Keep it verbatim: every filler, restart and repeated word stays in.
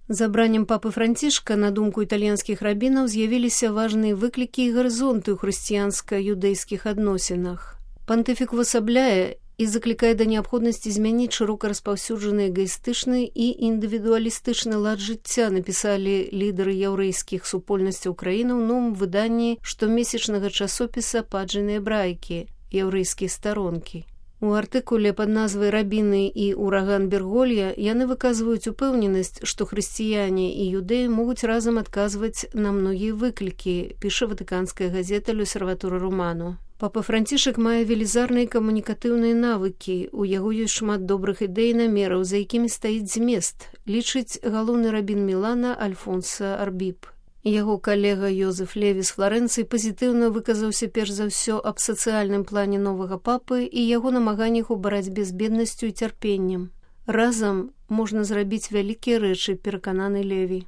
З абраннем папы Францішка, на думку італьянскіх рабінаў, з'явіліся важныя выклікі і гарызонты ў хрысціянска-юдэйскіх адносінах. Пантыфік увасабляе і заклікае да неабходнасці змяніць шырока распаўсюджаны эгоістычны і індывідуалістычны лад жыцця, напісалі лідары яўрэйскіх супольнасцяў краіны ў новым выданні штомесячнага часопіса «Паджыны эбрайкі» яўрэйскія старонкі. У артыкуле пад назвай «Рабіны і ураган Берголья» яны выказваюць упэўненасць, што хрысціяне і юдэі могуць разам адказваць на многія выклікі, піша ватыканская газета «L'Osservatore Romano». Папа Францішак мае велізарныя камунікатыўныя навыкі, у яго ёсць шмат добрых ідэй і намераў, за якімі стаіць змест, лічыць галоўны рабін Мілана Альфонса Арбіб. Яго калега Йозеф Леві з Фларэнцыі пазітыўна выказаўся перш за ўсё аб сацыяльным плане новага папы і яго намаганнях у барацьбе з беднасцю і цярпеннем. Разам можна зрабіць вялікія рэчы, перакананы Леві.